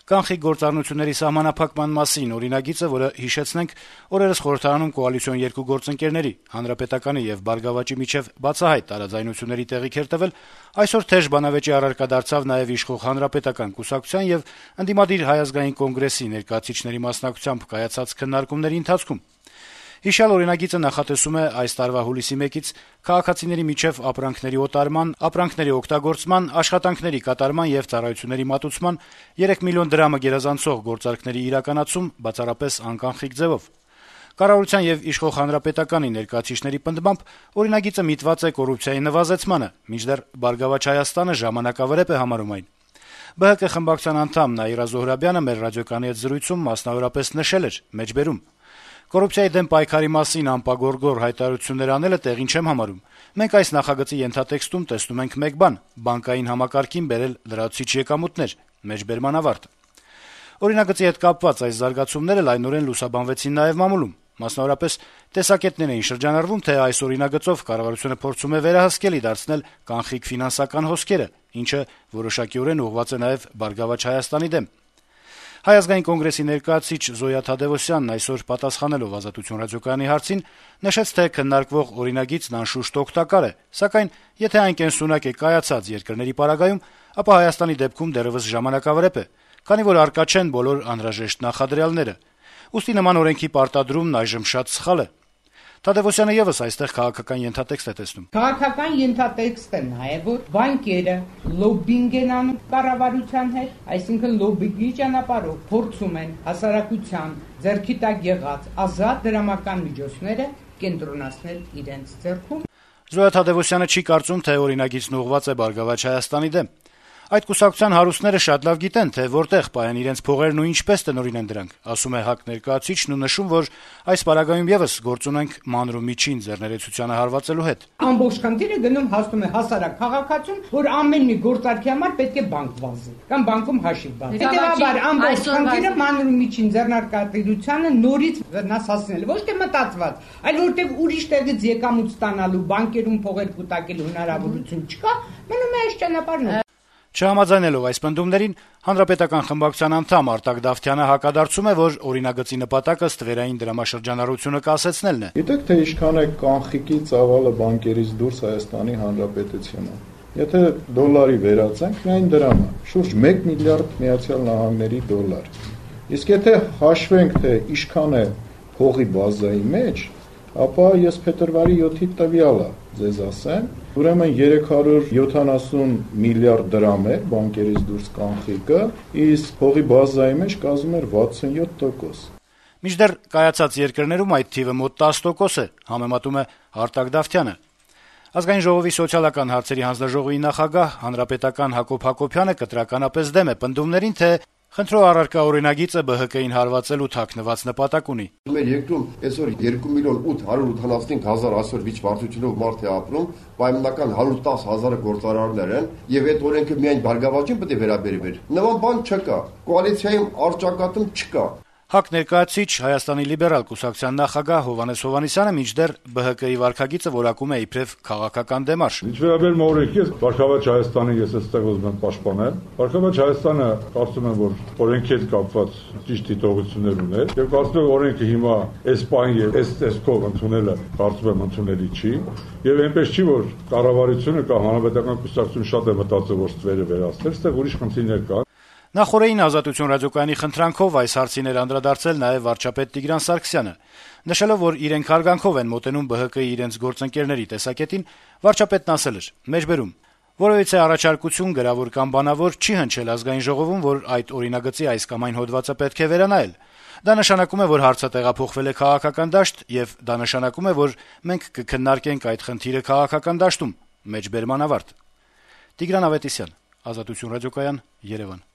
Կանխիկ գործառնությունների սահմանափակման մասին օրինագիծը, որը հիշեցնենք, օրերս խորհրդարանում կոալիցիոն երկու գործընկերների՝ Հանրապետականի եւ Բարգավաճի միջեւ բացահայտ տարաձայնությունների տեղիք էր տվել, այսօր թեժ բանավեճի առարկա դարձավ նաեւ իշխող Հանրապետական կուսակցության եւ ընդդիմադիր Հայ ազգային կոնգրեսի ներկայացուցիչների մասնակցությամբ կայացած քննարկումների ընթացքում։ Հիշյալ օրինագիծը նախատեսում է այս տարվա հուլիսի 1-ից քաղաքացիների միջև ապրանքների օտարման, ապրանքների օգտագործման, աշխատանքների կատարման եւ ծառայությունների մատուցման 3 միլիոն դրամը գերազանցող գործարքների իրականացում բացառապես անկանխիկ ձևով։ Կառավարության եւ իշխող Հանրապետականի ներկայացուցիչների պնդմամբ օրինագիծը միտված է կոռուպցիայի նվազեցմանը, մինչդեռ Բարգավաճ Հայաստանը ժամանակավրեպ է համարում այն։ ԲՀԿ խմբակցության անդամ Նաիրա Զոհրաբյանը մեր ռադիոկայանի հետ զրույցում մասնավորապես նշել էր. մեջբերում. «Կոռուպցիայի դեմ պայքարի մասին անպագորգոր հայտարարություններ անելը տեղին չեմ համարում։ Մենք այս նախագծի ենթատեքստում տեսնում ենք մեկ բան՝ բանկային համակարգին բերել լրացուցիչ եկամուտներ»։ Մեջբերման ավարտ։ Օրինագծի հետ կապված այս զարգացումները լայնորեն լուսաբանվեցին նաեւ մամուլում։ Մասնավորապես տեսակետներ էին շրջանառվում, թե այս օրինագծով կառավարությունը փորձում է վերահսկելի դարձնել կանխիկ ֆինանսական հոսքերը, ինչը որոշակիորեն ուղղված է նաեւ Բարգավաճ Հայաստանի դեմ։ Հայ ազգային կոնգրեսի ներկայացուցիչ Զոյա Թադևոսյանն այսօր պատասխանելով Ազատություն ռադիոկայանի հարցին նշեց, թե քննարկվող օրինագիծն անշուշտ օգտակար է, սակայն եթե այն կենսունակ է կայացած երկրների պարագայում, ապա Հայաստանի դեպքում դեռեւս ժամանակավրեպ է, քանի որ առկա չեն բոլոր անհրաժեշտ նախադրյալները։ Ուստի նման օրենքի պարտադրումն այժմ շատ սխալ է։ Թադևոսյանը եւս այստեղ քաղաքական ենթատեքստ է տեսնում։ Քաղաքական ենթատեքստը նաեւ որ բանկերը լոբինգ են անում կառավարության հետ, այսինքն լոբինգի ճանապարհով փորձում են հասարակության ձեռքի տակ եղած ազատ դրամական միջոցները կենտրոնացնել իրենց ձեռքում։ Զոյա Թադևոսյանը չի կարծում, թե օրինագիծն ուղղված է Բարգավաճ Հայաստանի դեմ։ Այդ կուսակցության հարուստները շատ լավ գիտեն, թե որտեղ պահեն իրենց փողերն ու ինչպես տնօրինեն դրանք, ասում է ՀԱԿ ներկայացուցիչն ու նշում, որ այս պարագայում եւս գործ ունենք մանր ու միջին ձեռներեցությանը հարվածելու հետ։ Ամբողջ խնդիրը գնում հասնում է հասարակ քաղաքացուն, որ ամեն մի գործարքի համար պետք է բանկ վազի կամ բանկում հաշիվ բացի։ Հետևաբար ամբողջ խնդիրը մանր ու միջին ձեռնարկատիրությանը նորից վնասացնել, ոչ թե մտածված, այլ որտեղ ուրիշ տեղից եկամուտ ստանալու բանկերում փողեր կուտակելու հնարավորություն չկա, մնում է այս ճանապարհն։ Չհամաձայնելով այս պնդումներին, Հանրապետական խմբակցության անդամ Արտակ Դավթյանը հակադարձում է, որ օրինագծի նպատակը ստվերային դրամաշրջանառությունը կասեցնելն է։ Գիտեք, թե ինչքան է կանխիկի ծավալը բանկերից դուրս Հայաստանի Հանրապետությունը։ Եթե դոլարի վերածենք, միայն դրամը շուրջ 1 միլիարդ ԱՄՆ-ի դոլար։ Իսկ եթե հաշվենք, թե ինչքան է փողի բազայի մեջ, ապա ես փետրվարի 7-ի տվյալը ձեզ ասեմ, ուրեմն 370 միլիարդ դրամ էր բանկերից դուրս կանխիկը, իսկ փողի բազայի մեջ կազմում էր 67%։ Մինչդեռ կայացած երկրներում այդ թիվը մոտ 10% է, համեմատում է Արտակ Դավթյանը։ Ազգային ժողովի սոցիալական հարցերի հանձնաժողովի նախագահ հանրապետական Հակոբ Հակոբյանը կտրականապես դեմ է պնդումներին, թե խնդրող առարկա օրինագիծը ԲՀԿ-ին հարվածելու թաքնված նպատակ ունի։ Մեր երկրում այսօր 2 միլիոն 885 հազար այսօր վիճվարչությունով մարդ է ապրում, պայմանական 110 հազարը գործարարներ են, եւ այդ օրենքը միայն Բարգավաճին պետք է վերաբերվեր։ Նման բան չկա, կոալիցիայում արճակատում չկա։ ՀԱԿ ներկայացուցիչ Հայաստանի լիբերալ կուսակցության նախագահ Հովհաննես Հովհաննիսյանը մինչդեռ ԲՀԿ-ի վարքագիծը որակում է իբրև քաղաքական դեմարշ։ Ինչ վերաբերում է օրենքի, Բարգավաճ Հայաստանի ես այստեղ ուզում եմ պաշտպանել։ Բարգավաճ Հայաստանը կարծում եմ, որ օրենքի հետ կապված ճիշտ դիտողություններ ուներ, եւ կարծում եմ օրենքը հիմա այս պահին եւ այս տեսքով ընդունելը կարծում եմ ընդունելի չի, եւ այնպես չի, որ կառավարությունը կամ հանրապետական կուսակցությունը շատ է մտածել, որ ստվերը վերացնել, այստեղ ուրիշ խնդիրներ կան։ Նախորդին Ազատություն ռադիոկայանի խնդրանքով այս հարցին էր անդրադարձել նաև վարչապետ Տիգրան Սարգսյանը, նշելով, որ իրենք հարգանքով են մոտենում ԲՀԿ-ի իրենց գործընկերների տեսակետին, վարչապետն ասել էր. «Մեջբերում, որովհետեւ առաջարկություն գրավոր կամ բանավոր չի հնչել ազգային ժողովում, որ այդ օրինագծի այս կամ այն հոդվածը պետք է վերանայել։ Դա նշանակում է, որ հարցը տեղափոխվել է քաղաքական դաշտ, եւ դա նշանակում է, որ մենք կքննարկենք այդ խնդիրը քաղաքական դաշտում»։ Մեջբերման ավարտ։ Տիգրան Ավետիսյան, Ազատություն ռադիոկայան, Երևան։